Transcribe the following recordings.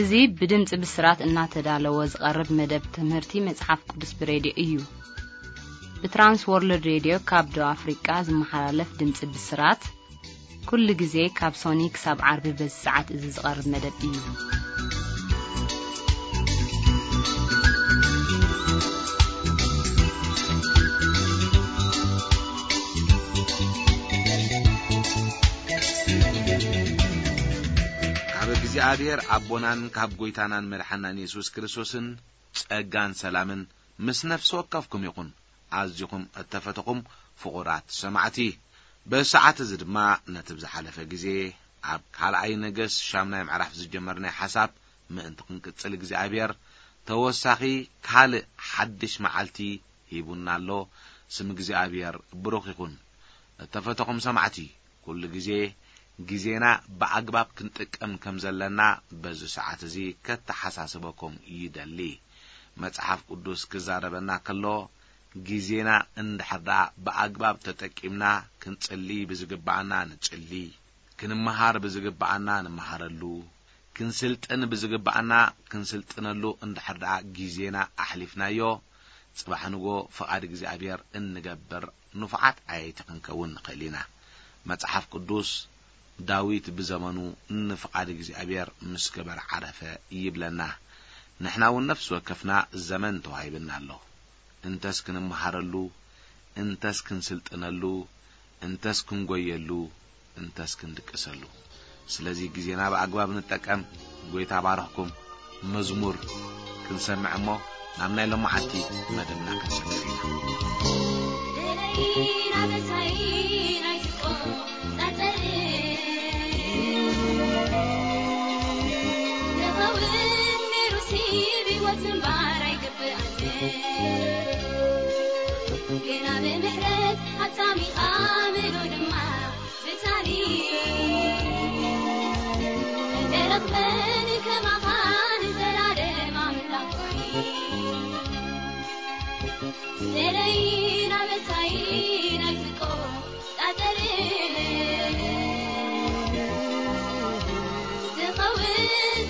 እዚ ብድምጺ ብስራት እናተዳለወ ዝቐርብ መደብ ትምህርቲ መጽሓፍ ቅዱስ ብሬድዮ እዩ። ብትራንስ ወርልድ ሬድዮ ካብ ደቡብ ኣፍሪቃ ዝመሓላለፍ ድምጺ ብስራት፣ ኩሉ ግዜ ካብ ሶኒ ክሳብ ዓርቢ በዚ ሰዓት እዚ ዝቐርብ መደብ እዩ። ካብ እግዚኣብሔር ኣቦናን ካብ ጐይታናን መድሓናን የሱስ ክርስቶስን ጸጋን ሰላምን ምስ ነፍሲ ወከፍኩም ይኹን። ኣዚኹም እተፈተኹም ፍቑራት ሰማዕቲ፣ በዚ ሰዓት እዚ ድማ ነቲ ብዝሓለፈ ግዜ ኣብ ካልኣይ ነገስ ሻምናይ ምዕራፍ ዝጀመርናዮ ሓሳብ ምእንቲ ክንቅጽል እግዚኣብሔር ተወሳኺ ካልእ ሓድሽ መዓልቲ ሂቡና ኣሎ። ስም እግዚኣብሔር ብሩኽ ይኹን። እተፈተኹም ሰማዕቲ፣ ኩሉ ግዜ ግዜና ብኣግባብ ክንጥቀም ከም ዘለና በዚ ሰዓት እዚ ከተሓሳስበኩም ይደሊ። መጽሓፍ ቅዱስ ክዛረበና ከሎ፣ ግዜና እንድሕር ደኣ ብኣግባብ ተጠቂምና፣ ክንጽሊ ብዝግብኣና ንጽሊ፣ ክንመሃር ብዝግብኣና ንምሃረሉ፣ ክንስልጥን ብዝግብኣና ክንስልጥነሉ እንድሕር ደኣ ግዜና ኣሕሊፍናዮ፣ ጽባሕ ንጎ ፍቓድ እግዚኣብሔር እንገብር ንፉዓት ኣየይቲ ክንከውን ንኽእል ኢና። መጽሓፍ ቅዱስ፣ ዳዊት ብዘመኑ ንፍቓድ እግዚኣብሔር ምስ ገበረ ዓረፈ ይብለና። ንሕና እውን ነፍሲ ወከፍና ዘመን ተዋሂብና ኣሎ። እንተስ ክንመሃረሉ፣ እንተስ ክንስልጥነሉ፣ እንተስ ክንጎየሉ፣ እንተስ ክንድቅሰሉ። ስለዚ ግዜና ብኣግባብ ንጠቀም። ጐይታ ባርኽኩም። መዝሙር ክንሰምዕ እሞ ናብ ናይ ሎማዓንቲ መደብና ክንሰግር ኢና። ደለይና መሳይና ይስቆ ጸጸር ንኸውን ነይሩ ሲብ ህይወት ምንባር ኣይግብኣን። ግና ብምሕረት ሃብታም ኢኻ ምሉ ድማ ብሳሊ ደረኽበን ከማኻ ንዘላለም ኣምላኽ ኾኒ። ደለይና መሳይና ይስቆ ጣጠር ዝኸውን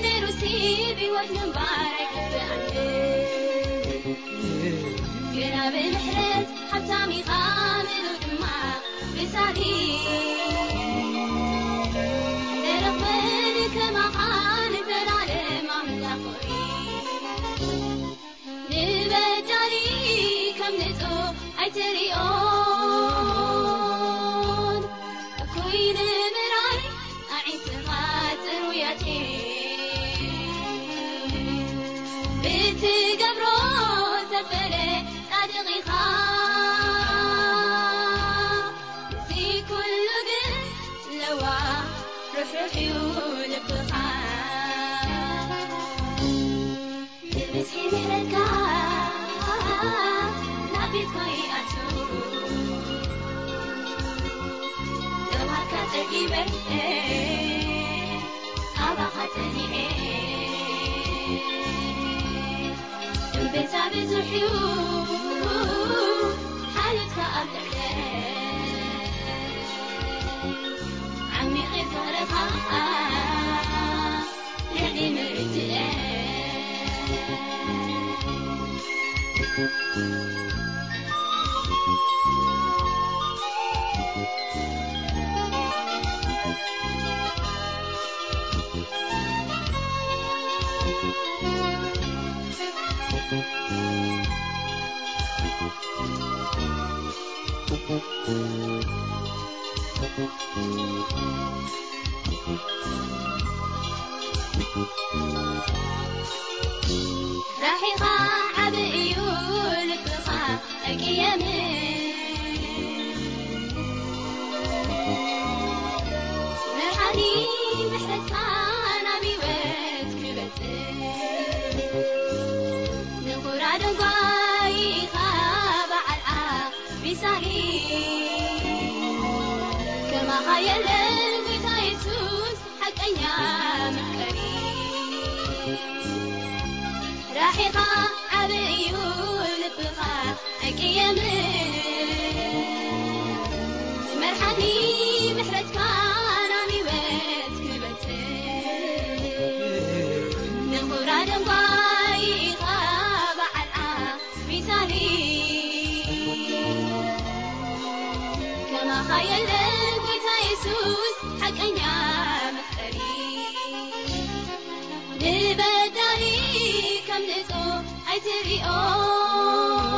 ነይሩ ሲብ ህይወት ምንባር ኣይግብኣን። ግና ብምሕረት ሃብታም ኢኻ ምሉ ድማ ብሳሊ ደረኽበን ከማኻ ንዘላለም ኣምላኽ ኾኒ። ንበዳሊ ከም ንጹህ ኣይትሪኦን። እኩይ ንምርኣይ ኣዒንትኻ ጽሩያት እየን። ብትገብሮ ዘበለ ጻድቕ ኢኻ። እዚ ኩሉ ግን ለዋህ ርሕሩሕ እዩ ልብኻ። ብብዝሒ ምሕረትካ ናብ ቤትካ ይኣቱ። ለውሃትካ ጸጊበ ካባኻ ጸኒዐ። እምቤታ ብዙሕ እዩ ሓልዮትካ ኣብ ልዕለ ዓሚቕ ፍቕርኻ። ራሒኻ ዓቢ እዩ ልብኻ ኣይቅየምን። መርሓኒ ምሕረትካ ናብ ህይወት ክበጽሕ። ንኹራ ደንጓይኻ በዓል ቢሳሊ ከማኻ የለን ጌታ የሱስ ሓቀኛ መፍቀሪ። ራሒኻ ዓቢ እዩ ልብኻ ኣይቅየምን። መርሓኒ ምሕረትካ ናብ ህይወት ክበጽሕ። ከም ንጹህ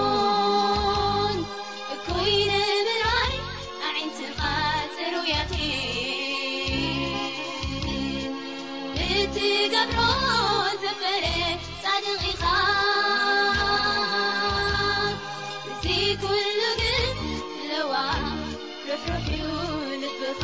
ኣይትሪኦን። እኩይ ንምርኣይ ኣዒንትኻ ጽሩያት እየን። ብትገብሮ ዘበለ ጻድቕ ኢኻ። እዚ ኩሉ ግን ለዋህ ርሕሩሕ እዩ ልብኻ።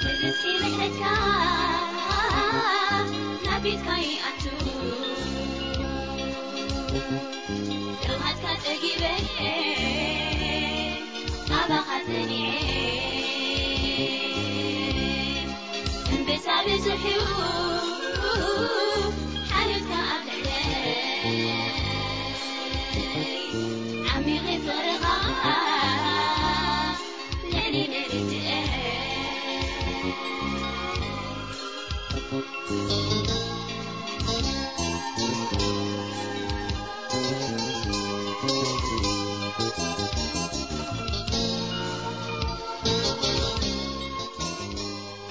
ንርእሲ ምሕረትካ ናብ ቤትካ ይኣቱ። ደውሃትካ ጸጊበ፣ ናባኻ ጸኒዐ። እምብዛ ብዙሕ እዩ ሓልዮትካ ኣብ ልዕለይ። ዓሚቕ ፍቕርኻ ልዕሊ መርትዐ።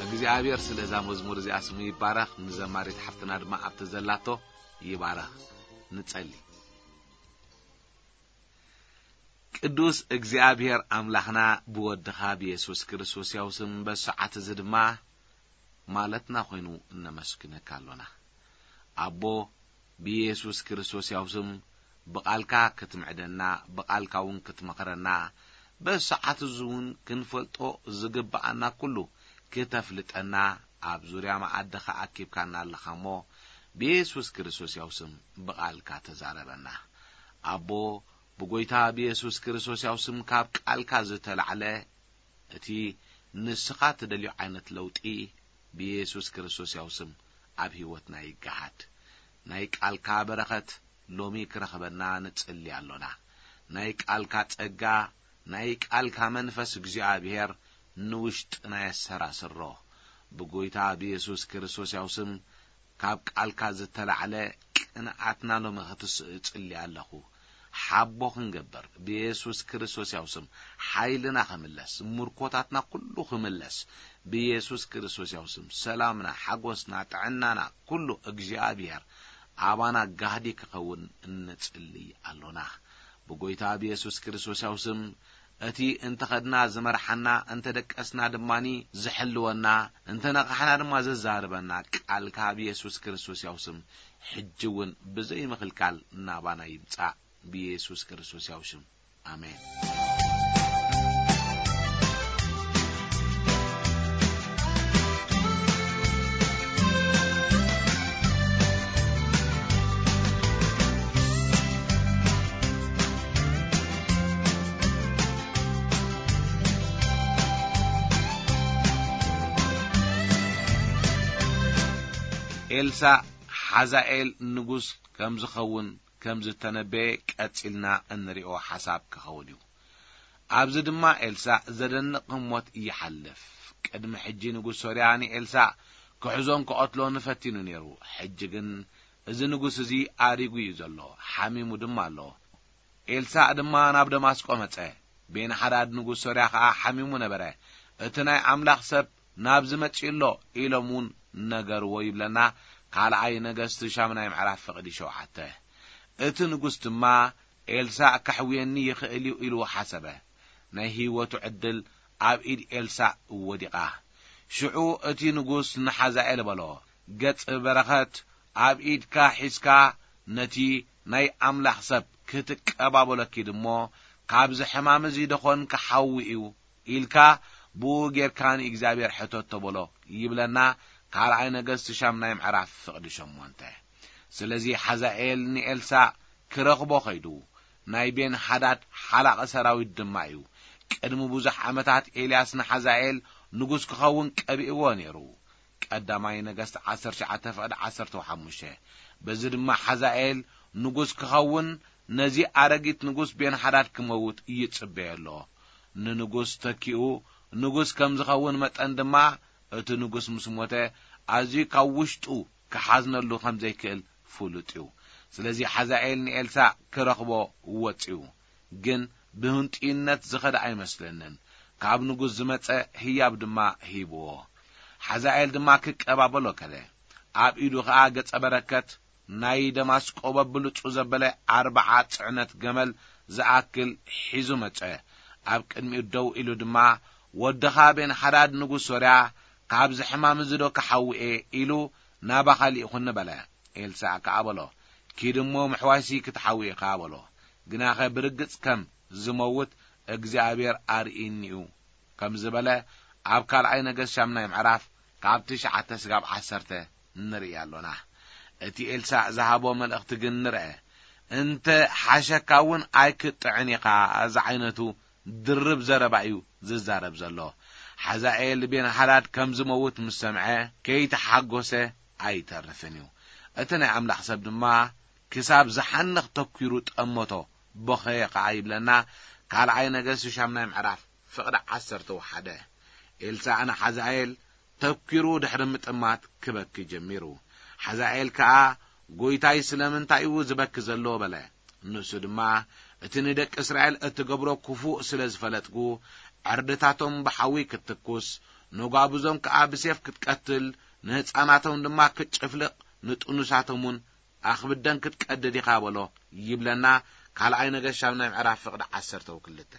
እግዚኣብሔር ስለ እዛ መዝሙር እዚኣ ስሙ ይባረኽ። ንዘማሪት ሓፍትና ድማ ኣብቲ ዘላቶ ይባረኽ። ንጸሊ። ቅዱስ እግዚኣብሔር ኣምላኽና ብወድኻ ብየሱስ ክርስቶስ ያው ስም በሰዓት እዚ ድማ ማለትና ኮይኑ እነመስግነካ ኣሎና። ኣቦ ብየሱስ ክርስቶስ ያው ስም ብቓልካ ክትምዕደና፣ ብቓልካ እውን ክትመኽረና፣ በሰዓት እዚ እውን ክንፈልጦ ዝግብኣና ኩሉ ክተፍልጠና ኣብ ዙርያ መኣድኻ ኣኪብካና ኣለኻ እሞ ብየሱስ ክርስቶስ ያው ስም ብቓልካ ተዛረበና። ኣቦ ብጎይታ ብየሱስ ክርስቶስ ያው ስም ካብ ቃልካ ዝተላዕለ እቲ ንስኻ ትደልዮ ዓይነት ለውጢ ብየሱስ ክርስቶስ ያው ስም ኣብ ህይወትና ይገሃድ። ናይ ቃልካ በረኸት ሎሚ ክረኽበና ንጽሊ ኣሎና። ናይ ቃልካ ጸጋ፣ ናይ ቃልካ መንፈስ እግዚኣብሔር ንውሽጥና የሰራስሮ። ብጎይታ ብየሱስ ክርስቶስ ያው ስም ካብ ቃልካ ዝተላዕለ ቅንኣትና ሎሚ ክትስእ እጽሊ ኣለኹ። ሓቦ ክንገብር ብየሱስ ክርስቶስ ያው ስም ሓይልና ክምለስ፣ ምርኮታትና ኩሉ ክምለስ ብየሱስ ክርስቶስ ያው ስም ሰላምና፣ ሓጎስና፣ ጥዕናና ኩሉ እግዚኣብሔር ኣባና ጋህዲ ክኸውን እንጽሊ ኣሎና። ብጎይታ ብየሱስ ክርስቶስ ያው ስም እቲ እንተኸድና ዝመርሓና፣ እንተደቀስና ድማኒ ዝሕልወና፣ እንተነቓሕና ድማ ዘዛርበና ቃልካ ብየሱስ ክርስቶስ ያው ስም ሕጂ እውን ብዘይ ምኽልካል ናባና ይምጻእ። ብየሱስ ክርስቶስ ያው ሽም ኣሜን። ኤልሳእ ሓዛኤል ንጉስ ከም ዝኸውን ከም ዝተነበየ ቀጺልና እንሪኦ ሓሳብ ክኸውን እዩ። ኣብዚ ድማ ኤልሳእ ዘደንቕ ህሞት ይሓልፍ። ቅድሚ ሕጂ ንጉስ ሶርያ ንኤልሳእ ክሕዞን ክቐትሎን ፈቲኑ ነይሩ። ሕጂ ግን እዚ ንጉስ እዚ ኣሪጉ እዩ ዘሎ፣ ሓሚሙ ድማ ኣሎ። ኤልሳእ ድማ ናብ ደማስቆ መጸ። ቤንሓዳድ ንጉስ ሶርያ ኸኣ ሓሚሙ ነበረ። እቲ ናይ ኣምላኽ ሰብ ናብዚ መጺኡ ኣሎ ኢሎም እውን ነገርዎ ይብለና። ካልኣይ ነገስቲ ሻምናይ ምዕራፍ ፍቕዲ ሸውዓተ። እቲ ንጉስ ድማ ኤልሳእ ከሕውየኒ ይኽእል እዩ ኢሉ ሓሰበ። ናይ ህይወቱ ዕድል ኣብ ኢድ ኤልሳእ ወዲቓ። ሽዑ እቲ ንጉስ ንሓዛኤል በሎ፣ ገጽ በረኸት ኣብ ኢድካ ሒዝካ ነቲ ናይ ኣምላኽ ሰብ ክትቀባበሎ ኪድ እሞ፣ ካብዚ ሕማም እዚ ደኾን ክሓዊ እዩ ኢልካ ብኡ ጌርካ ንእግዚኣብሔር ሕተቶ በሎ ይብለና። ካልኣይ ነገስት ሻምናይ ምዕራፍ ፍቕዲ ሸሞንተ። ስለዚ ሓዛኤል ንኤልሳዕ ክረኽቦ ኸይዱ፣ ናይ ቤን ሓዳድ ሓላቒ ሰራዊት ድማ እዩ። ቅድሚ ብዙሕ ዓመታት ኤልያስ ንሓዛኤል ንጉስ ክኸውን ቀቢእዎ ነይሩ። ቀዳማይ ነገስት ዓሰርተ ትሽዓተ ፍቕዲ ዓሰርተ ሓሙሽተ። በዚ ድማ ሓዛኤል ንጉስ ክኸውን፣ ነዚ ኣረጊት ንጉስ ቤንሓዳድ ክመውት ይጽበዮ ኣሎ። ንንጉስ ተኪኡ ንጉስ ከም ዝኸውን መጠን ድማ፣ እቲ ንጉስ ምስ ሞተ፣ ኣዝዩ ካብ ውሽጡ ክሓዝነሉ ከም ዘይክእል ፍሉጥ እዩ። ስለዚ ሓዛኤል ንኤልሳዕ ክረኽቦ ወጺኡ። ግን ብህንጡይነት ዝኸደ ኣይመስለንን። ካብ ንጉስ ዝመጸ ህያብ ድማ ሂብዎ። ሓዛኤል ድማ ክቀባበሎ ከደ። ኣብ ኢዱ ኸኣ ገጸ በረከት ናይ ደማስቆ በብልጹ ዘበለ ኣርብዓ ጽዕነት ገመል ዝኣክል ሒዙ መጸ። ኣብ ቅድሚኡ ደው ኢሉ ድማ፣ "ወድኻ ቤንሓዳድ ንጉስ ሶርያ ካብዚ ሕማም እዚ ዶ ክሓውኤ?" ኢሉ ናባኻ ልኢኹኒ በለ። ኤልሳዕ ከኣ በሎ፣ "ኪድ እሞ ምሕዋይሲ ክትሓዊ ኢኻ" በሎ። "ግናኸ ብርግጽ ከም ዝመውት እግዚኣብሔር ኣርኢኒ'ዩ" ከም ዝበለ ኣብ ካልኣይ ነገስት ሻምናይ ምዕራፍ ካብ ትሽዓተ ስጋብ ዓሰርተ ንርኢ ኣሎና። እቲ ኤልሳዕ ዝሃቦ መልእኽቲ ግን ንርአ። "እንተ ሓሸካ እውን ኣይክጥዕን ኢኻ" ዝዓይነቱ ድርብ ዘረባ እዩ ዝዛረብ ዘሎ። ሓዛኤል ቤንሃዳድ ከም ዝመውት ምስ ሰምዐ ከይተሓጎሰ ኣይተርፍን እዩ። እቲ ናይ ኣምላኽ ሰብ ድማ ክሳብ ዝሓንኽ ተኲሩ ጠመቶ፣ በኸየ ኸዓ ይብለና ካልኣይ ነገስት ሻምናይ ምዕራፍ ፍቕዲ ዓሰርተ ሓደ። ኤልሳዕ ንሓዛኤል ተኲሩ ድሕሪ ምጥማት ክበኪ ጀሚሩ። ሓዛኤል ከኣ፣ "ጐይታይ ስለምንታይ እዩ ዝበኪ ዘሎ?" በለ። ንሱ ድማ፣ "እቲ ንደቂ እስራኤል እትገብሮ ክፉእ ስለ ዝፈለጥኩ፣ ዕርድታቶም ብሓዊ ክትትኩስ፣ ነጓብዞም ከኣ ብሴፍ ክትቀትል፣ ንህጻናቶም ድማ ክትጭፍልቕ፣ ንጥኑሳቶም እውን ኣኽብደን ክትቀድድ ኢኻ" በሎ ይብለና ካልኣይ ነገስት ሻምናይ ምዕራፍ ፍቕዲ ዓሰርተ ክልተ።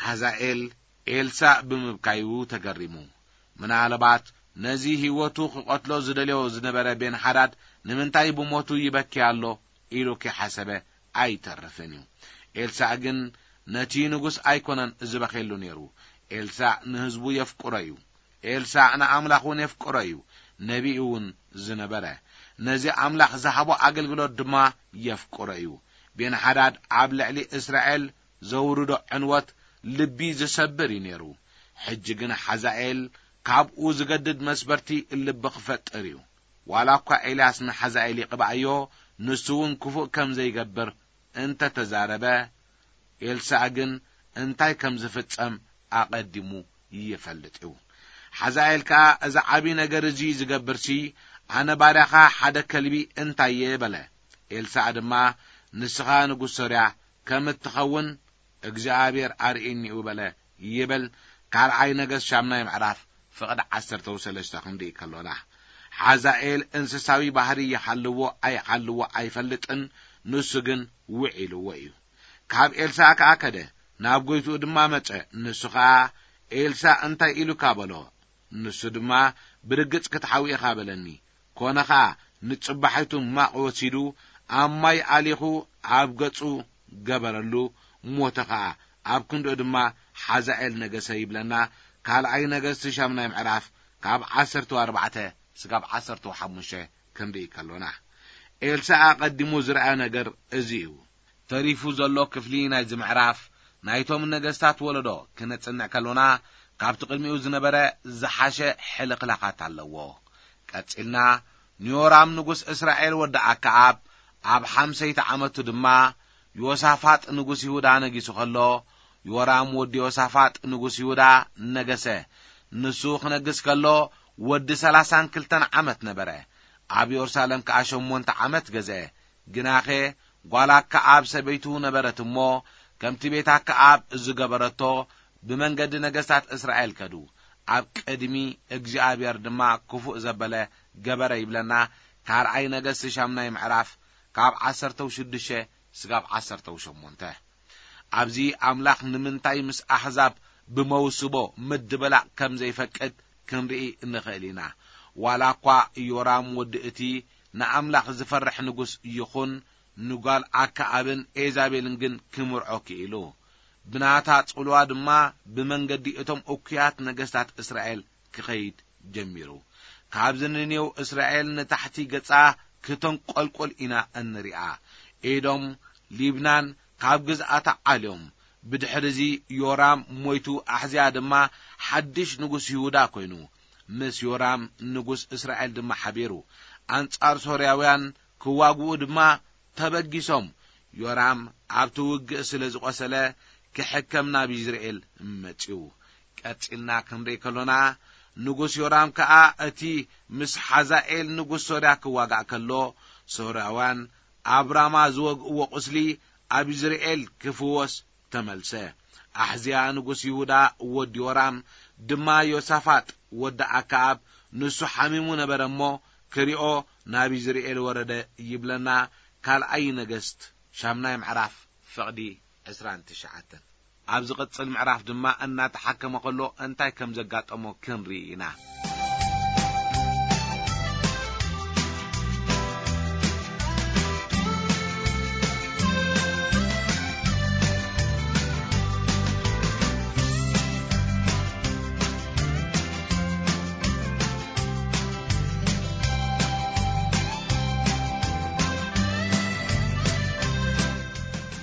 ሓዛኤል ኤልሳዕ ብምብካዩ ተገሪሙ። ምናልባት ነዚ ህይወቱ ክቐትሎ ዝደልዮ ዝነበረ ቤንሓዳድ ንምንታይ ብሞቱ ይበኪ ኣሎ ኢሉ ከይሓሰበ ኣይተርፍን እዩ። ኤልሳዕ ግን ነቲ ንጉስ ኣይኮነን ዝበኼሉ ነይሩ። ኤልሳዕ ንህዝቡ የፍቅሮ እዩ። ኤልሳዕ ንኣምላኽ እውን የፍቅሮ እዩ። ነቢይ እውን ዝነበረ፣ ነዚ ኣምላኽ ዝሃቦ ኣገልግሎት ድማ የፍቅሮ እዩ። ቤንሓዳድ ኣብ ልዕሊ እስራኤል ዘውርዶ ዕንወት ልቢ ዝሰብር እዩ ነይሩ። ሕጂ ግን ሓዛኤል ካብኡ ዝገድድ መስበርቲ ልቢ ክፈጥር እዩ። ዋላ እኳ ኤልያስ ንሓዛኤል ይቕብኣዮ፣ ንሱ እውን ክፉእ ከም ዘይገብር እንተ ተዛረበ፣ ኤልሳዕ ግን እንታይ ከም ዝፍጸም ኣቐዲሙ ይፈልጥ እዩ። ሓዛኤል ከኣ፣ "እዚ ዓቢ ነገር እዚ ዝገብርሲ፣ ኣነ ባርያኻ ሓደ ከልቢ እንታይ እየ?" በለ። ኤልሳዕ ድማ፣ "ንስኻ ንጉስ ሶርያ ከም እትኸውን እግዚኣብሔር ኣርእየኒ እዩ" በለ ይብል ካልኣይ ነገስት ሻምናይ ምዕራፍ ፍቕዲ ዓሰርተ ሰለስተ ክንርኢ ከሎና። ሓዛኤል እንስሳዊ ባህሪ ይሃልዎ ኣይሃልዎ ኣይፈልጥን፣ ንሱ ግን ውዒልዎ እዩ። ካብ ኤልሳዕ ከኣ ከደ፣ ናብ ጐይትኡ ድማ መጸ። ንሱ ኸኣ፣ "ኤልሳዕ እንታይ ኢሉካ?" በሎ። ንሱ ድማ፣ "ብርግጽ ክትሓዊ ኢኻ" በለኒ። ኮነ ኸኣ፣ ንጽባሒቱ ማቕ ወሲዱ፣ ኣብ ማይ ኣሊኹ ኣብ ገጹ ገበረሉ፣ ሞተ ኸኣ። ኣብ ክንድኡ ድማ ሓዛኤል ነገሰ ይብለና ካልኣይ ነገስቲ ሻምናይ ምዕራፍ ካብ ዓሰርተ ኣርባዕተ ስጋብ ዓሰርተ ሓሙሽተ ክንርኢ ከሎና። ኤልሳዕ ኣቐዲሙ ዝረኣ ነገር እዚ እዩ። ተሪፉ ዘሎ ክፍሊ ናይዚ ምዕራፍ ናይቶም ነገስታት ወለዶ ክነጽንዕ ከሎና፣ ካብቲ ቅድሚኡ ዝነበረ ዝሓሸ ሕልኽላኻት ኣለዎ። ቀጺልና፣ ንዮራም ንጉስ እስራኤል ወዲ ኣከኣብ ኣብ ሓምሰይቲ ዓመቱ ድማ ዮሳፋጥ ንጉስ ይሁዳ ነጊሱ ከሎ፣ ዮራም ወዲ ዮሳፋጥ ንጉስ ይሁዳ ነገሰ። ንሱ ክነግስ ከሎ ወዲ ሰላሳን ክልተን ዓመት ነበረ። ኣብ የሩሳሌም ከኣ ሸሞንተ ዓመት ገዝአ። ግናኸ ጓል ኣከኣብ ሰበይቱ ነበረት እሞ፣ ከምቲ ቤት ኣከኣብ ዝገበረቶ ብመንገዲ ነገስታት እስራኤል ከዱ። ኣብ ቅድሚ እግዚኣብሔር ድማ ክፉእ ዘበለ ገበረ ይብለና ካልኣይ ነገስቲ ሻምናይ ምዕራፍ ካብ ዓሰርተ ሽዱሽተ ስጋብ ዓሰርተ ሸሞንተ። ኣብዚ ኣምላኽ ንምንታይ ምስ ኣሕዛብ ብመውስቦ ምድብላቕ ከም ዘይፈቅድ ክንርኢ ንኽእል ኢና። ዋላ እኳ ኢዮራም ወዲ እቲ ንኣምላኽ ዝፈርሕ ንጉስ ይኹን፣ ንጓል ኣከኣብን ኤዛቤልን ግን ክምርዖ ክኢሉ። ብናታ ጽልዋ ድማ ብመንገዲ እቶም እኩያት ነገስታት እስራኤል ክኸይድ ጀሚሩ። ካብዚ ንኔው እስራኤል ንታሕቲ ገጻ ክተንቆልቆል ኢና እንሪኣ። ኤዶም፣ ሊብናን ካብ ግዝኣታ ዓልዮም። ብድሕሪ እዚ ዮራም ሞይቱ፣ ኣሕዝያ ድማ ሓድሽ ንጉስ ይሁዳ ኮይኑ፣ ምስ ዮራም ንጉስ እስራኤል ድማ ሓቢሩ ኣንጻር ሶርያውያን ክዋግኡ ድማ ተበጊሶም። ዮራም ኣብቲ ውግእ ስለ ዝቖሰለ ክሕከም ናብ ይዝርኤል መጺኡ። ቀጺልና ክንርኢ ከሎና፣ ንጉስ ዮራም ከኣ እቲ ምስ ሓዛኤል ንጉስ ሶርያ ክዋጋእ ከሎ፣ ሶርያውያን ኣብ ራማ ዝወግእዎ ቁስሊ ኣብ ይዝርኤል ክፍወስ ተመልሰ። ኣሕዝያ ንጉስ ይሁዳ ወዲ ዮራም ድማ ዮሳፋጥ ወዲ ኣከኣብ ንሱ ሓሚሙ ነበረ እሞ ክሪኦ ናብ ይዝርኤል ወረደ ይብለና ካልኣይ ነገስት ሻምናይ ምዕራፍ ፍቕዲ ዕስራን ትሽዓተን። ኣብ ዝቕጽል ምዕራፍ ድማ እናተሓከመ ከሎ እንታይ ከም ዘጋጠሞ ክንርኢ ኢና።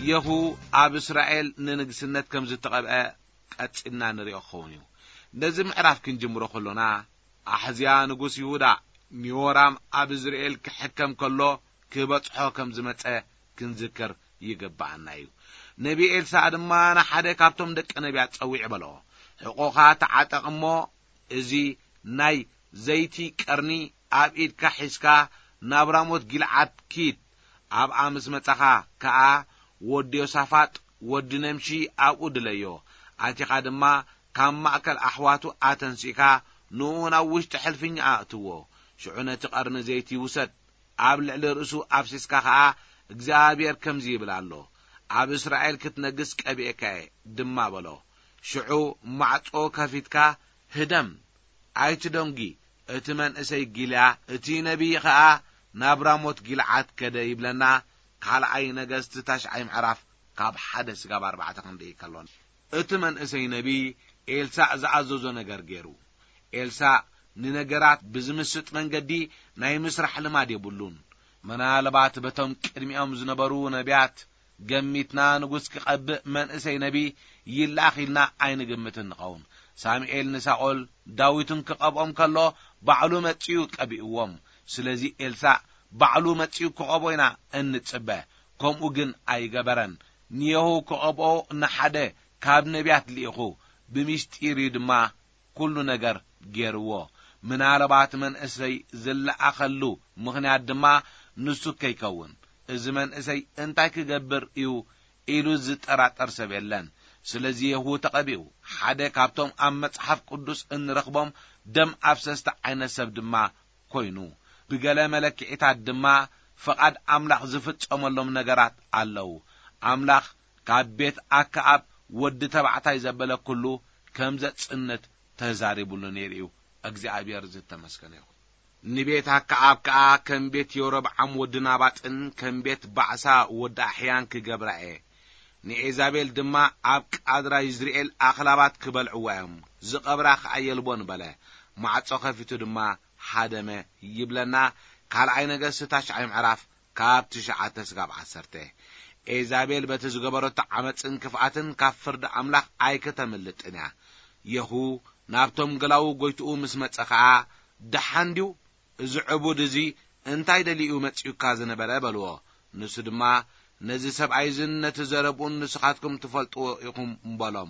የሁ ኣብ እስራኤል ንንግስነት ከም ዝተቐብአ ቀጺልና ንሪኦ ክኸውን እዩ። ነዚ ምዕራፍ ክንጅምሮ ከሎና፣ ኣሕዝያ ንጉስ ይሁዳ ንዮራም ኣብ እዝርኤል ክሕከም ከሎ ክበጽሖ ከም ዝመጸ ክንዝክር ይግብኣና እዩ። ነቢ ኤልሳዕ ድማ ንሓደ ካብቶም ደቂ ነቢያት ጸዊዑ በሎ፣ "ሕቖኻ ተዓጠቕ እሞ እዚ ናይ ዘይቲ ቀርኒ ኣብ ኢድካ ሒዝካ ናብ ራሞት ጊልዓድ ኪድ። ኣብኣ ምስ መጻኻ ከኣ ወዲ ዮሳፋጥ ወዲ ነምሺ ኣብኡ ድለዮ። ኣቲኻ ድማ ካብ ማእከል ኣሕዋቱ ኣተንሲእካ ንኡ ናብ ውሽጢ ሕልፍኛ ኣእትዎ። ሽዑ ነቲ ቀርኒ ዘይቲ ውሰድ፣ ኣብ ልዕሊ ርእሱ ኣፍሲስካ ኸኣ፣ 'እግዚኣብሔር ከምዚ ይብል ኣሎ፣ ኣብ እስራኤል ክትነግስ ቀቢኤካ እየ' ድማ በሎ። ሽዑ ማዕጾ ከፊትካ ህደም፣ ኣይትደንጒ። እቲ መንእሰይ ጊልያ፣ እቲ ነቢይ ኸኣ ናብ ራሞት ጊልዓድ ከደ" ይብለና። ካልኣይ ነገስት ታሽዓይ ምዕራፍ ካብ ሓደ ስጋብ ኣርባዕተ ክንርኢ ከሎና፣ እቲ መንእሰይ ነቢይ ኤልሳዕ ዝኣዘዞ ነገር ገይሩ። ኤልሳዕ ንነገራት ብዝምስጥ መንገዲ ናይ ምስራሕ ልማድ የብሉን። ምናልባት በቶም ቅድሚኦም ዝነበሩ ነቢያት ገሚትና፣ ንጉስ ክቐብእ መንእሰይ ነቢይ ይለኣኽ ኢልና ኣይንግምትን ንኸውን። ሳሙኤል ንሳኦል ዳዊትን ክቐብኦም ከሎ ባዕሉ መጺኡ ቀቢእዎም። ስለዚ ኤልሳዕ ባዕሉ መጺኡ ክቐብኦ ኢና እንጽበ። ከምኡ ግን ኣይገበረን። ንየሁ ክቐብኦ ንሓደ ካብ ነቢያት ልኢኹ፣ ብምስጢር እዩ ድማ ኩሉ ነገር ገይርዎ። ምናልባት መንእሰይ ዝለኣኸሉ ምኽንያት ድማ ንሱ ከይከውን፣ "እዚ መንእሰይ እንታይ ክገብር እዩ?" ኢሉ ዝጠራጠር ሰብ የለን። ስለዚ የሁ ተቐቢኡ። ሓደ ካብቶም ኣብ መጽሓፍ ቅዱስ እንረኽቦም ደም ኣፍሰስቲ ዓይነት ሰብ ድማ ኮይኑ። ብገለ መለክዒታት ድማ ፍቓድ ኣምላኽ ዝፍጸመሎም ነገራት ኣለዉ። ኣምላኽ ካብ ቤት ኣከኣብ ወዲ ተባዕታይ ዘበለ ኩሉ ከም ዘጽንት ተዛሪቡሉ ነይሩ እዩ። እግዚኣብሔር ዝተመስገነ ይኹን። ንቤት ኣከኣብ ከኣ ከም ቤት የሮብዓም ወዲ ናባጥን ከም ቤት ባዕሳ ወዲ ኣሕያን ክገብራ እየ። ንኤዛቤል ድማ ኣብ ቃድራ ይዝርኤል ኣኽላባት ክበልዕዋ እዮም፣ ዝቐብራ ከኣ የልቦን በለ። ማዕጾ ከፊቱ ድማ ሃደመ ይብለና። ካልኣይ ነገስት ታሽዓይ ምዕራፍ ካብ ትሽዓተ ስጋብ ዓሰርተ። ኤዛቤል በቲ ዝገበረቶ ዓመፅን ክፍኣትን ካብ ፍርዲ ኣምላኽ ኣይክተምልጥን እያ። የሁ ናብቶም ገላዉ ጎይትኡ ምስ መጸ ኸኣ፣ "ደሓን ድዩ? እዚ ዕቡድ እዚ እንታይ ደልዩ መጺኡካ ዝነበረ?" በልዎ። ንሱ ድማ፣ "ነዚ ሰብኣይ እዝን ነቲ ዘረብኡን ንስኻትኩም ትፈልጥዎ ኢኹም" በሎም።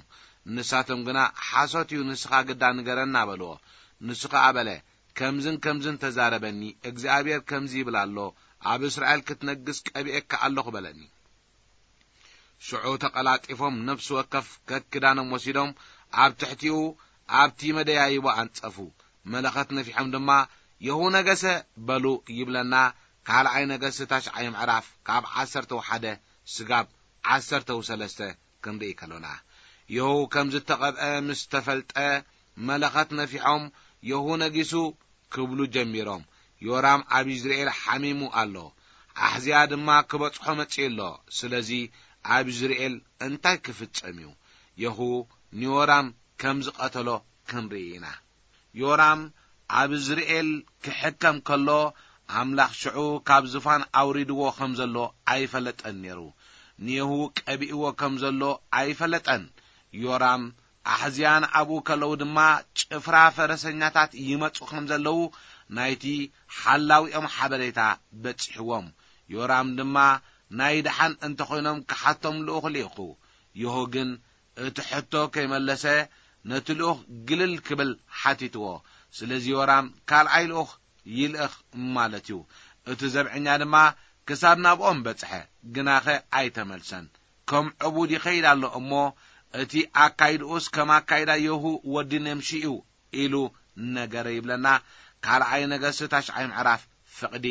ንሳቶም ግና፣ "ሓሶት እዩ፣ ንስኻ ግዳ ንገረና" በልዎ። ንሱ ኸኣ በለ፣ "ከምዝን ከምዝን ተዛረበኒ፣ እግዚኣብሔር ከምዚ ይብል ኣሎ፣ ኣብ እስራኤል ክትነግስ ቀቢኤካ ኣለኹ" በለኒ። ሽዑ ተቐላጢፎም ነፍሲ ወከፍ ከክዳኖም ወሲዶም ኣብ ትሕቲኡ ኣብቲ መደያይቦ ኣንጸፉ። መለኸት ነፊሖም ድማ፣ "የሁ ነገሰ" በሉ ይብለና። ካልኣይ ነገስት ታሽዓይ ምዕራፍ ካብ ዓሰርተ ሓደ ስጋብ ዓሰርተ ሰለስተ ክንርኢ ከሎና፣ የሁ ከም ዝተቐብአ ምስ ተፈልጠ፣ መለኸት ነፊሖም፣ "የሁ ነጊሱ" ክብሉ ጀሚሮም። ዮራም ኣብ ኢዝራኤል ሓሚሙ ኣሎ። ኣሕዝያ ድማ ክበጽሖ መጺኡ ኣሎ። ስለዚ ኣብ ይዝርኤል እንታይ ክፍጸም እዩ? የሁ ንዮራም ከም ዝቐተሎ ክንርኢ ኢና። ዮራም ኣብ ይዝርኤል ክሕከም ከሎ፣ ኣምላኽ ሽዑ ካብ ዝፋን ኣውሪድዎ ከም ዘሎ ኣይፈለጠን ነይሩ። ንየሁ ቀቢእዎ ከም ዘሎ ኣይፈለጠን። ዮራም ኣሕዝያን ኣብኡ ከለዉ ድማ ጭፍራ ፈረሰኛታት ይመጹ ከም ዘለዉ ናይቲ ሓላዊኦም ሓበሬታ በጺሕዎም። ዮራም ድማ ናይ ደሓን እንተኾይኖም ክሓቶም ልኡኽ ልኢኹ። የሆ ግን እቲ ሕቶ ከይመለሰ ነቲ ልኡኽ ግልል ክብል ሓቲትዎ። ስለዚ ዮራም ካልኣይ ልኡኽ ይልእኽ ማለት እዩ። እቲ ዘብዐኛ ድማ ክሳብ ናብኦም በጽሐ፣ ግናኸ ኣይተመልሰን። ከም ዕቡድ ይኸይድ ኣሎ እሞ፣ እቲ ኣካይድኡስ ከም ኣካይዳ የሁ ወዲ ነምሺ እዩ ኢሉ ነገረ ይብለና። ካልኣይ ነገስት ታሽዓይ ምዕራፍ ፍቕዲ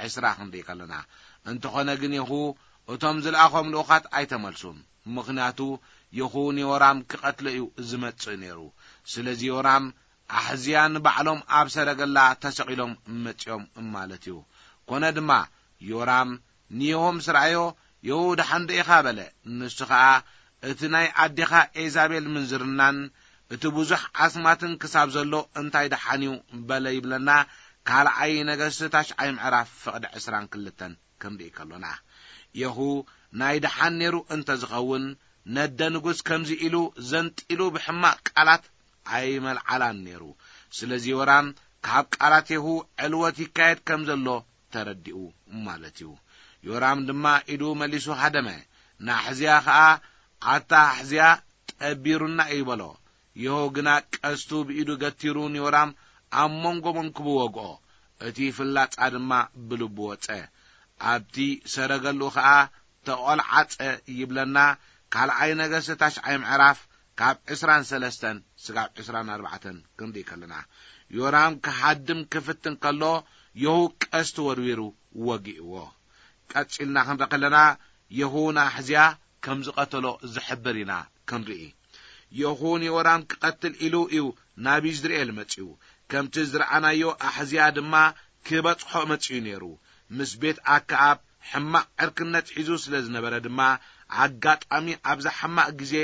ዕስራ ክንርኢ ከለና። እንተኾነ ግን የሁ እቶም ዝለኣኾም ልኡኻት ኣይተመልሱን። ምኽንያቱ የሁ ንዮራም ክቐትሎ እዩ ዝመጽእ ነይሩ። ስለዚ ዮራም ኣሕዝያ ንባዕሎም ኣብ ሰረገላ ተሰቒሎም መጺኦም ማለት እዩ። ኮነ ድማ ዮራም ንየሆ ምስ ረኣዮ፣ "የሁ ደሓን ዶ ኢኻ?" በለ። ንሱ ኸኣ፣ "እቲ ናይ ኣዴኻ ኤዛቤል ምንዝርናን እቲ ብዙሕ ኣስማትን ክሳብ ዘሎ እንታይ ደሓን እዩ?" በለ ይብለና። ካልኣይ ነገስት ታሽዓይ ምዕራፍ ፍቕዲ ዕስራን ክልተን ክንርኢ ከሎና፣ የሁ ናይ ደሓን ነይሩ እንተ ዝኸውን፣ ነደ ንጉስ ከምዚ ኢሉ ዘንጢሉ ብሕማቕ ቃላት ኣይመልዓላን ነይሩ። ስለዚ ዮራም ካብ ቃላት የሁ ዕልወት ይካየድ ከም ዘሎ ተረዲኡ ማለት እዩ። ዮራም ድማ ኢዱ መሊሱ ሃደመ። ንኣሕዝያ ኸኣ፣ "ኣታ ኣሕዝያ፣ ጠቢሩና እዩ" በሎ። የሆ ግና ቀስቱ ብኢዱ ገቲሩ ንዮራም ኣብ መንጎ መንኩቡ ወግኦ። እቲ ፍላጻ ድማ ብልቡ ወጸ። ኣብቲ ሰረገሉ ኸኣ ተቖልዓጸ ይብለና። ካልኣይ ነገስት ታሽዓይ ምዕራፍ ካብ ዕስራን ሰለስተን ስጋብ ዕስራን ኣርባዕተን ክንርኢ ከለና፣ ዮራም ክሃድም ክፍትን ከሎ፣ የሁ ቀስቱ ወርዊሩ ወጊእዎ። ቀጺልና ክንርኢ ከለና፣ የሁ ንኣሕዝያ ከም ዝቐተሎ ዝሕብር ኢና ክንርኢ። የሁ ንዮራም ክቐትል ኢሉ እዩ ናብ ይዝርኤል መጺኡ። ከምቲ ዝረኣናዮ፣ ኣሕዝያ ድማ ክበጽሖ መጺኡ ነይሩ። ምስ ቤት ኣከኣብ ሕማቕ ዕርክነት ሒዙ ስለ ዝነበረ ድማ፣ ኣጋጣሚ ኣብዛ ሕማቕ ግዜ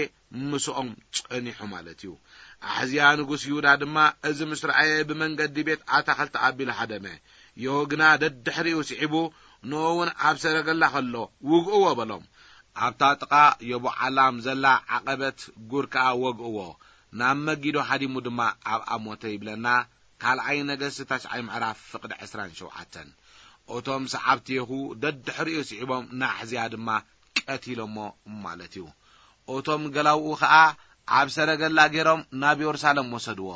ምስኦም ጸኒሑ ማለት እዩ። ኣሕዝያ ንጉስ ይሁዳ ድማ እዚ ምስ ረኣየ፣ ብመንገዲ ቤት ኣታኽልቲ ኣቢሉ ሃደመ። የሆ ግና ደድሕሪኡ ስዒቡ፣ ንኡ እውን ኣብ ሰረገላ ከሎ፣ "ውግእዎ" በሎም። ኣብታ ጥቓ የቦዓላም ዘላ ዓቐበት ጉር ከኣ ወግእዎ። ናብ መጊዶ ሃዲሙ ድማ ኣብኣ ሞተ ይብለና። ካልኣይ ነገስት ታሽዓይ ምዕራፍ ፍቕዲ ዕስራን ሸውዓተን። እቶም ሰዓብቲ የሁ ደድሕሪኡ ስዒቦም ንኣሕዝያ ድማ ቀቲሎሞ ማለት እዩ። እቶም ገላውኡ ኸኣ ኣብ ሰረገላ ገይሮም ናብ የሩሳሌም ወሰድዎ።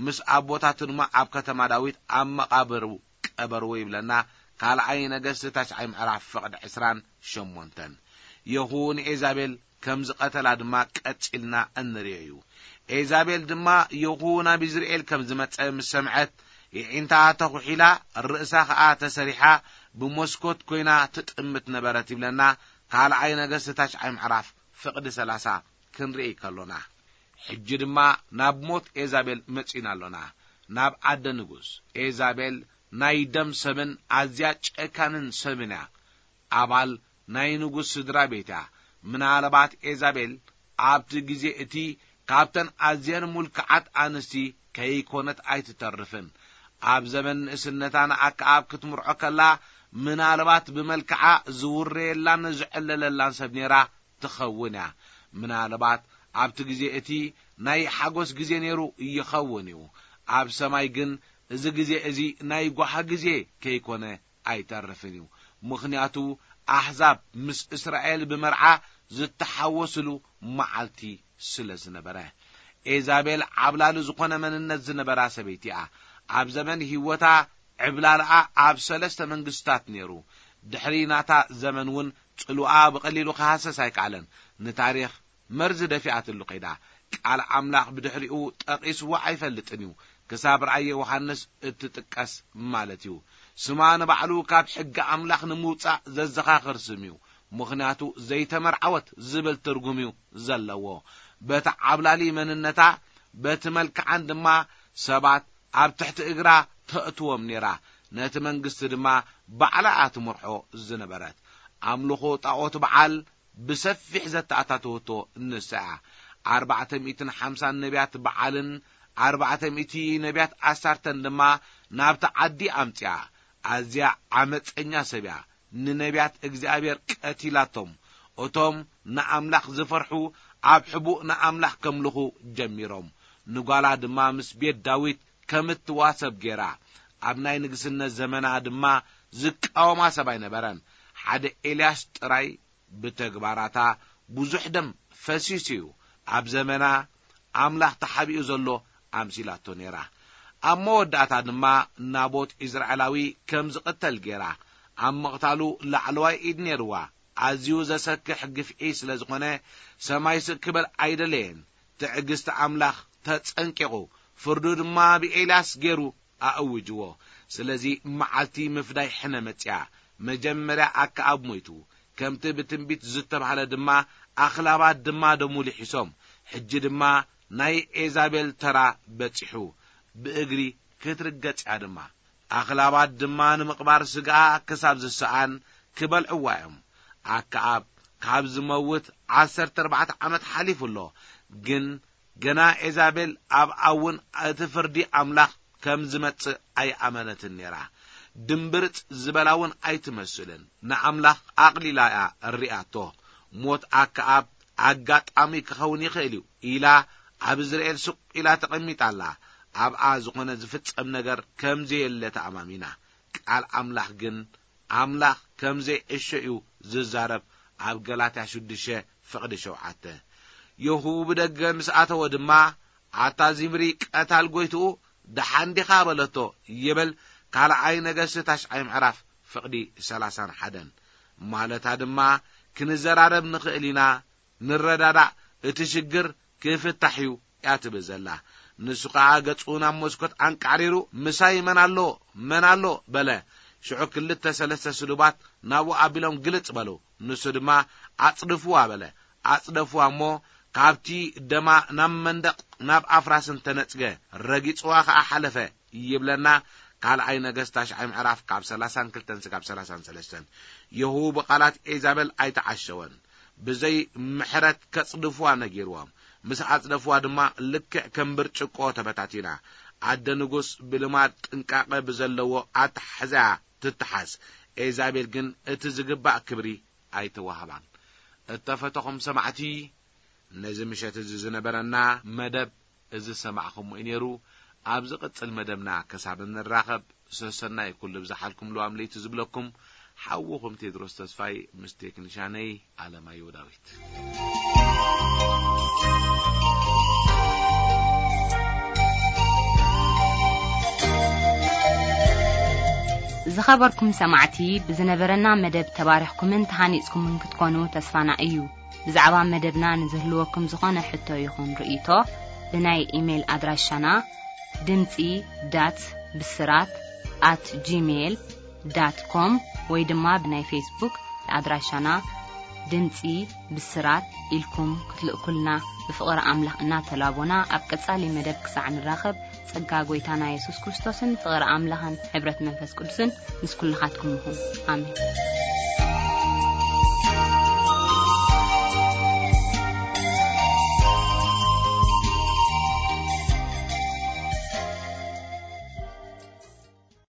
ምስ ኣቦታቱ ድማ ኣብ ከተማ ዳዊት ኣብ መቓብሩ ቀበርዎ ይብለና። ካልኣይ ነገስት ታሽዓይ ምዕራፍ ፍቕዲ ዕስራን ሸሞንተን። የሁ ንኤዛቤል ከም ዝቐተላ ድማ ቀጺልና እንርእዮ እዩ። ኤዛቤል ድማ የሁ ናብ ይዝርኤል ከም ዝመጸ ምስ ሰምዐት፣ የዒንታ ተኹሒላ፣ ርእሳ ኸኣ ተሰሪሓ፣ ብመስኮት ኮይና ትጥምት ነበረት ይብለና። ካልኣይ ነገስት ታሽዓይ ምዕራፍ ፍቕዲ ሰላሳ ክንርኢ ከሎና፣ ሕጂ ድማ ናብ ሞት ኤዛቤል መጺና ኣሎና። ናብ ኣደ ንጉስ። ኤዛቤል ናይ ደም ሰብን ኣዝያ ጨካንን ሰብን እያ። ኣባል ናይ ንጉስ ስድራ ቤት እያ። ምናልባት ኤዛቤል ኣብቲ ግዜ እቲ ካብተን ኣዝየን ሙልክዓት ኣንስቲ ከይኮነት ኣይትተርፍን። ኣብ ዘመን ንእስነታ ንኣከኣብ ክትምርዖ ከላ፣ ምናልባት ብመልክዓ ዝውረየላን ዝዕለለላን ሰብ ነይራ ትኸውን እያ። ምናልባት ኣብቲ ግዜ እቲ ናይ ሓጎስ ግዜ ነይሩ ይኸውን እዩ። ኣብ ሰማይ ግን እዚ ግዜ እዚ ናይ ጓሃ ግዜ ከይኮነ ኣይተርፍን እዩ። ምኽንያቱ ኣሕዛብ ምስ እስራኤል ብመርዓ ዝተሓወስሉ መዓልቲ ስለ ዝነበረ። ኤዛቤል ዓብላሊ ዝኾነ መንነት ዝነበራ ሰበይቲ እያ። ኣብ ዘመን ህይወታ ዕብላልኣ ኣብ ሰለስተ መንግስታት ነይሩ። ድሕሪ ናታ ዘመን እውን ጽልዋ ብቐሊሉ ክሃሰስ ኣይከኣለን። ንታሪኽ መርዚ ደፊኣትሉ ከይዳ። ቃል ኣምላኽ ብድሕሪኡ ጠቒስዎ ኣይፈልጥን እዩ። ክሳብ ራእየ ዮሃንስ እትጥቀስ ማለት እዩ። ስማ ንባዕሉ ካብ ሕጊ ኣምላኽ ንምውጻእ ዘዘኻኽር ስም እዩ። ምኽንያቱ ዘይተመርዓወት ዝብል ትርጉም እዩ ዘለዎ። በቲ ዓብላሊ መንነታ፣ በቲ መልክዓን ድማ ሰባት ኣብ ትሕቲ እግራ ተእትዎም ነይራ። ነቲ መንግስቲ ድማ ባዕላ እያ ትመርሖ ዝነበረት። ኣምልኾ ጣዖት በዓል ብሰፊሕ ዘተኣታተወቶ ንሳ እያ። ኣርባዕተ ሚእትን ሓምሳን ነቢያት በዓልን ኣርባዕተ ሚእቲ ነቢያት ኣሳርተን ድማ ናብቲ ዓዲ ኣምጽኣ። ኣዝያ ዓመጸኛ ሰብ እያ። ንነቢያት እግዚኣብሔር ቀቲላቶም። እቶም ንኣምላኽ ዝፈርሑ ኣብ ሕቡእ ንኣምላኽ ከምልኹ ጀሚሮም። ንጓላ ድማ ምስ ቤት ዳዊት ከም እትዋሰብ ገይራ። ኣብ ናይ ንግስነት ዘመና ድማ ዝቃወማ ሰብ ኣይነበረን። ሓደ ኤልያስ ጥራይ ብተግባራታ ብዙሕ ደም ፈሲሱ እዩ። ኣብ ዘመና ኣምላኽ ተሓቢኡ ዘሎ ኣምሲላቶ ነይራ። ኣብ መወዳእታ ድማ ናቦት ኢዝራኤላዊ ከም ዝቕተል ገይራ። ኣብ ምቕታሉ ላዕለዋይ ኢድ ነይርዋ። ኣዝዩ ዘሰክሕ ግፍዒ ስለ ዝኾነ፣ ሰማይ ስቕ ክበል ኣይደለየን። ትዕግስቲ ኣምላኽ ተጸንቂቑ፣ ፍርዱ ድማ ብኤልያስ ገይሩ ኣእውጅዎ። ስለዚ መዓልቲ ምፍዳይ ሕነ መጽያ። መጀመርያ ኣከኣብ ሞይቱ፣ ከምቲ ብትንቢት ዝተባህለ ድማ ኣኽላባት ድማ ደሙ ልሒሶም። ሕጂ ድማ ናይ ኤዛቤል ተራ በጺሑ፣ ብእግሪ ክትርገጽ እያ ድማ። ኣኽላባት ድማ ንምቕባር ስጋኣ ክሳብ ዝሰኣን ክበልዕዋ እዮም። ኣከኣብ ካብ ዝመውት ዓሰርተ ኣርባዕተ ዓመት ሓሊፉ ኣሎ። ግን ገና ኤዛቤል ኣብኣ እውን እቲ ፍርዲ ኣምላኽ ከም ዝመጽእ ኣይኣመነትን ነይራ። ድምብርጽ ዝበላ እውን ኣይትመስልን። ንኣምላኽ ኣቕሊላ እያ እሪኣቶ። ሞት ኣከኣብ ኣጋጣሚ ክኸውን ይኽእል እዩ ኢላ ኣብ እዝራኤል ስቕ ኢላ ተቐሚጣ ኣላ። ኣብኣ ዝኾነ ዝፍጸም ነገር ከም ዘየለ ተኣማሚና። ቃል ኣምላኽ ግን ኣምላኽ ከም ዘይዕሾ እዩ ዝዛረብ። ኣብ ገላትያ ሽዱሽተ ፍቕዲ ሸውዓተ። የሁ ብደገ ምስ ኣተወ ድማ፣ ኣታ ዚምሪ ቀታል ጎይትኡ ደሓን ዲኻ በለቶ ይብል። ካልኣይ ነገስት ታሽዓይ ምዕራፍ ፍቕዲ ሰላሳን ሓደን። ማለታ ድማ ክንዘራረብ ንኽእል ኢና፣ ንረዳዳእ፣ እቲ ሽግር ክፍታሕ እዩ እያ ትብል ዘላ። ንሱ ኸኣ ገጹ ናብ መስኮት ኣንቃዕሪሩ፣ ምሳይ መን ኣሎ? መን ኣሎ? በለ። ሽዑ ክልተ ሰለስተ ስሉባት ናብኡ ኣቢሎም ግልጽ በሉ። ንሱ ድማ ኣጽድፍዋ በለ። ኣጽደፍዋ እሞ ካብቲ ደማ ናብ መንደቕ ናብ ኣፍራስን ተነጽገ፣ ረጊጽዋ ኸኣ ሓለፈ ይብለና። ካልኣይ ነገስት ታሽዓይ ምዕራፍ ካብ ሰላሳን ክልተን ስጋብ ሰላሳን ሰለስተን። የሁ ብቓላት ኤዛቤል ኣይተዓሸወን። ብዘይ ምሕረት ከጽድፍዋ ነጊርዎም። ምስ ኣጽደፍዋ ድማ ልክዕ ከም ብርጭቆ ተበታቲና። ኣደ ንጉስ ብልማድ ጥንቃቐ ብዘለዎ ኣተሓሕዛ ትተሓዝ። ኤዛቤል ግን እቲ ዝግባእ ክብሪ ኣይተዋህባን። እተፈተኹም ሰማዕቲ፣ ነዚ ምሸት እዚ ዝነበረና መደብ እዚ ዝሰማዕኹምዎ እዩ ነይሩ። ኣብ ዝቕጽል መደብና ክሳብ እንራኸብ፣ ሰሰናይ ኩሉ ብዝሓልኩም ልዋም ለይቲ ዝብለኩም ሓውኹም ቴድሮስ ተስፋይ ምስ ቴክኒሻነይ ኣለማየሁ ዳዊት። ዝኸበርኩም ሰማዕቲ፣ ብዝነበረና መደብ ተባሪኽኩምን ተሃኒጽኩምን ክትኮኑ ተስፋና እዩ። ብዛዕባ መደብና ንዝህልወኩም ዝኾነ ሕቶ ይኹን ርእይቶ፣ ብናይ ኢሜይል ኣድራሻና ድምጺ ዳት ብስራት ኣት ጂሜይል ዳት ኮም ወይ ድማ ብናይ ፌስቡክ ኣድራሻና ድምጺ ብስራት ኢልኩም ክትልእኩልና ብፍቕሪ ኣምላኽ እናተላቦና፣ ኣብ ቀጻሊ መደብ ክሳዕ ንራኸብ፣ ጸጋ ጐይታና የሱስ ክርስቶስን ፍቕሪ ኣምላኽን ሕብረት መንፈስ ቅዱስን ምስ ኩልኻትኩም ይኹን። ኣሜን።